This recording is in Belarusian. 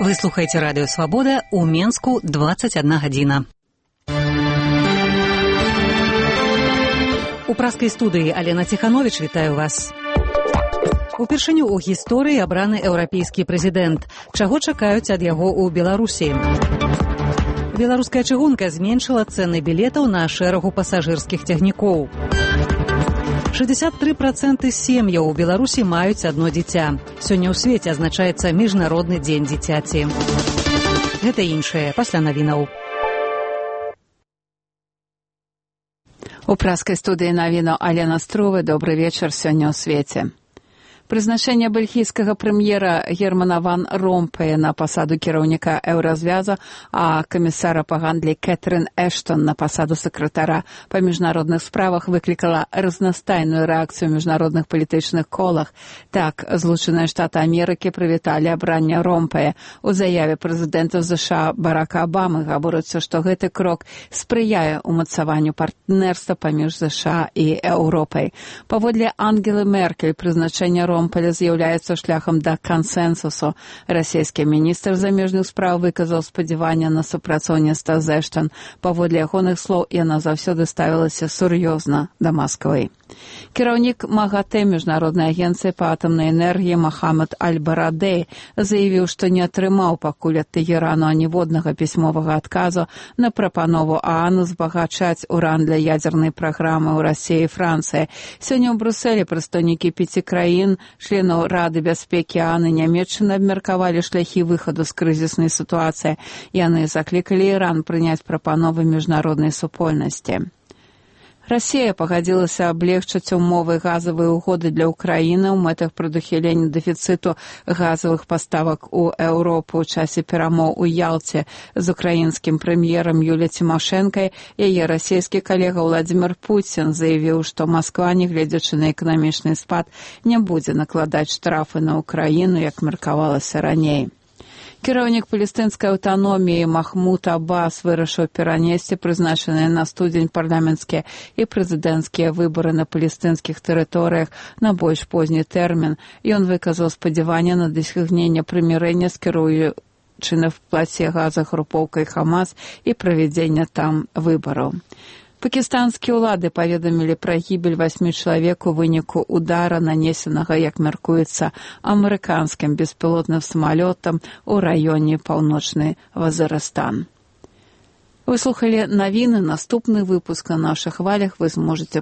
Вы слухаеце радыё «Свабода», у Менску 21 гадзіна. У праскай студыі Алена Ціхановіч вітаю вас. Упершыню ў гісторыі абраны еўрапейскі прэзідэнт. Чаго чакаюць ад яго ў Беларусі? Беларуская чыгунка зменшыла цэны білетаў на шэрагу пасажырскіх цягнікоў. 63% сем'яў у Беларусі маюць адно дзіця. Сёння ў свеце адзначаецца міжнародны дзень дзіцяці. Гэта іншае пасля навінаў. У праскай студыі навіну Алена Струвы. Добры вечар сёння ў свеце. Прызначэнне бельгійскага прэм'ера Германа ван Ромпея на пасаду кіраўніка еўразвяза, а камісара па гандлі Кэтрын Эштон на пасаду сакратара па міжнародных справах выклікала разнастайную рэакцыю ў міжнародных палітычных колах. Так, Злучаныя Штаты Амерыкі прывіталі абранне Ромпея. У заяве прэзідэнта ЗША Барака Абамы гаворыцца, што гэты крок спрыяе ўмацаванню партнерства паміж ЗША і Еўропай. Паводле Ангелы Меркель, прызначэнне Ромпеля з'яўляецца шляхам да кансэнсусу. Расійскі міністр замежных спраў выказаў спадзяванне на супрацоўніцтва з Эштон. Паводле ягоных слоў, яна заўсёды ставілася сур'ёзна да Масквы. Кіраўнік МАГАТЭ міжнароднай агенцыі па атамнай энергіі Мохаммед Аль-Барадэй заявіў, што не атрымаў пакуль ад Тэгерану аніводнага пісьмовага адказу на прапанову ААН узбагачаць уран для ядзернай праграмы ў Расіі і Францыі. Сёння ў Брусэлі прадстаўнікі 5 краін, членаў Рады бяспекі ААН і Нямецчыны абмеркавалі шляхі выхаду з крызіснай сітуацыі. Яны заклікалі Іран прыняць прапановы міжнароднай супольнасці. Расія пагадзілася аблегчыць умовы газавай угоды для Украіны ў мэтах прадухілення дэфіцыту газавых паставак у Еўропу ў часе перамоў у Ялце з украінскім прэм'ерам Юліяй Цімашэнкай. Яе расійскі калега Владзімір Пуцін заявіў, што Масква, нягледзячы на эканамічны спад, не будзе накладаць штрафы на Украіну, як меркавалася раней. Кіраўнік палестынскай аўтаноміі Махмуд Аббас вырашыў перанесці прызначаныя на студзень парламенцкія і прэзідэнцкія выбары на палестынскіх тэрыторыях на больш позні тэрмін. Ён выказаў спадзяванне на дасягненне прымірэння з кіруючай на плаце газа групоўкай Хамас і правядзення там выбараў. Пакістанскія ўлады паведамілі пра гібель 8 чалавек у выніку удара, нанесенага, як мяркуецца, амерыканскім беспілотным самалётам у раёне паўночны Вазірыстан. Вы слухалі навіны. Наступны выпуск на нашых хвалях вы зможаце